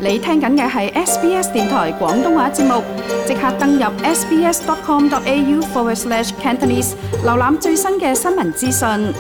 你聽緊嘅係 SBS 電台廣東話節目，即刻登入 sbs.com.au/Cantonese， 瀏覽最新嘅新聞資訊。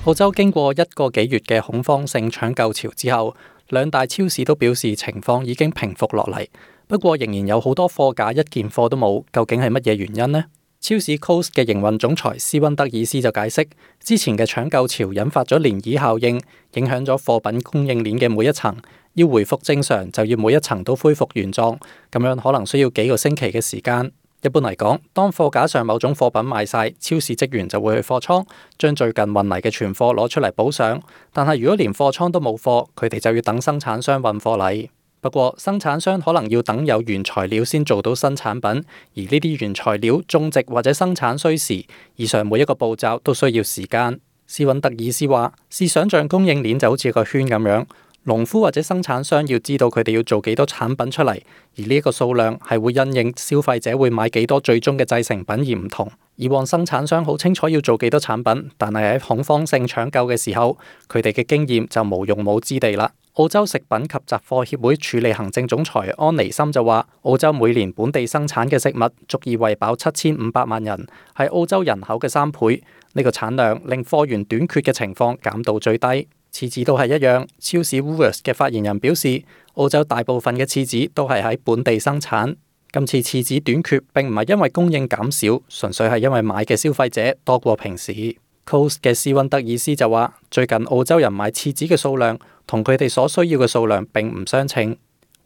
澳洲經過1個幾月嘅恐慌性搶購潮之後，兩大超市都表示情況已經平復落嚟，不過仍然有好多貨架一件貨都冇，究竟係乜嘢原因呢？超市 Coles 嘅營運總裁斯溫德爾斯就解釋，之前嘅搶購潮引發咗漣漪效應，影響咗貨品供應鏈嘅每一層，要回復正常就要每一層都恢復原狀，咁樣可能需要幾個星期嘅時間。一般嚟講，當貨架上某種貨品賣晒，超市職員就會去貨倉將最近運嚟嘅存貨攞出嚟補上。但係如果連貨倉都冇貨，佢哋就要等生產商運貨嚟。不過生產商可能要等有原材料先做到新產品，而呢啲原材料種植或者生產需時，以上每一個步驟都需要時間。斯溫德爾斯話：試想像供應鏈就好似個圈咁樣。農夫或者生產商要知道佢哋要做幾多產品出嚟，而呢一個數量係會因應消費者會買幾多最終嘅製成品而唔同。以往生產商好清楚要做幾多產品，但係喺恐慌性搶購嘅時候，佢哋嘅經驗就無用武之地啦。澳洲食品及雜貨協會處理行政總裁安妮森就話：澳洲每年本地生產嘅食物足以餵飽7500萬人，係澳洲人口嘅3倍。呢個產量令貨源短缺嘅情況減到最低。廁紙都係一樣，超市 Woolworths 嘅發言人表示，澳洲大部分嘅廁紙都係喺本地生產。今次廁紙短缺並唔係因為供應減少，純粹係因為買嘅消費者多過平時。Coles 嘅斯溫德爾斯就話，最近澳洲人買廁紙嘅數量同佢哋所需要嘅數量並唔相稱。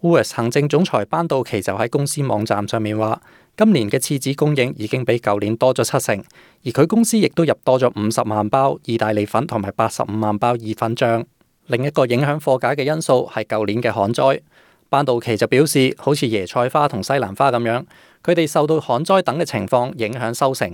Woolworths 行政總裁班道奇就喺公司網站上面話，今年嘅廁紙供應已經比舊年多咗70%，而佢公司亦都入多咗50萬包意大利粉同埋85萬包意粉醬。另一個影響貨架嘅因素係舊年嘅旱災。班道奇就表示，好似椰菜花同西蘭花咁樣，佢哋受到旱災等嘅情況影響收成。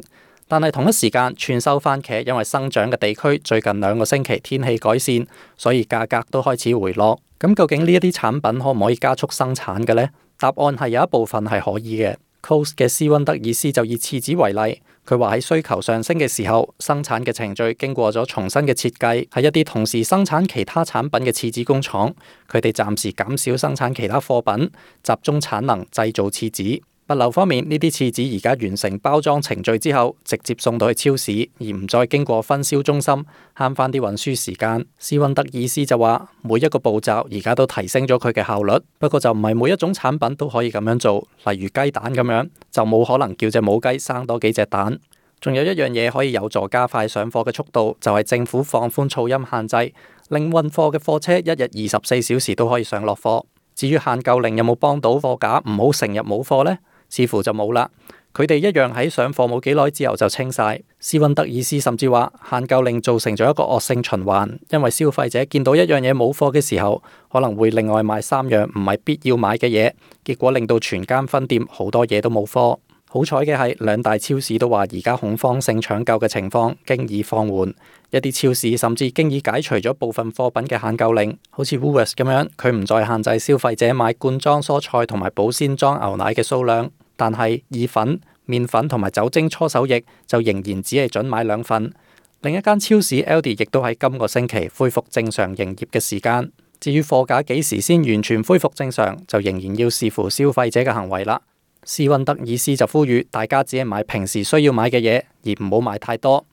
但係同一時間，串收番茄因為生長嘅地區最近2個星期天氣改善，所以價格都開始回落。咁究竟呢一啲產品可唔可以加速生產嘅呢？答案係有一部分係可以嘅。Coles 嘅斯溫德爾斯就以廁紙為例，佢話喺需求上升嘅時候，生產嘅程序經過咗重新嘅設計，喺一啲同時生產其他產品嘅廁紙工廠，佢哋暫時減少生產其他貨品，集中產能製造廁紙。物流方面，呢啲廁紙而家完成包裝程序之後，直接送到去超市，而唔再經過分銷中心，慳翻啲運輸時間。斯溫德爾斯就話，每一個步驟而家都提升咗佢嘅效率，不過就唔係每一種產品都可以咁樣做，例如雞蛋咁樣，就冇可能叫隻母雞生多幾隻蛋。仲有一樣嘢可以有助加快上貨嘅速度，就係政府放寬噪音限制，令運貨嘅貨車一日24小時都可以上落貨。至於限購令有冇幫到貨架唔好成日冇貨呢？似乎就冇啦，佢哋一樣喺上貨冇幾耐之後就清晒。斯溫德爾斯甚至話，限購令造成咗一個惡性循環，因為消費者見到一樣嘢冇貨嘅時候，可能會另外買3樣唔係必要買嘅嘢，結果令到全間分店好多嘢都冇貨。好彩嘅係，兩大超市都話而家恐慌性搶購嘅情況經已放緩，一啲超市甚至經已解除咗部分貨品嘅限購令，好似 Woolworths 咁樣，佢唔再限制消費者買罐裝蔬菜同埋保鮮裝牛奶嘅數量。但係意粉、麵粉同埋酒精搓手液就仍然只係準買2份。另一間超市 Aldi 亦都喺今個星期恢復正常營業嘅時間。至於貨架幾時先完全恢復正常，就仍然要視乎消費者嘅行為啦。斯溫德爾斯就呼籲大家只係買平時需要買嘅嘢，而唔好買太多。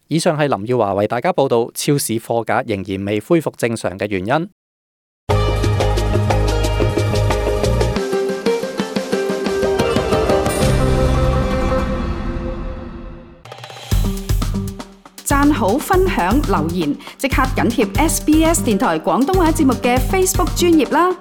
以上係林耀華為大家報道超市貨架仍然未恢復正常嘅原因。讚好、分享、留言，即刻緊貼SBS 電台廣東話節目嘅 Facebook 專頁啦！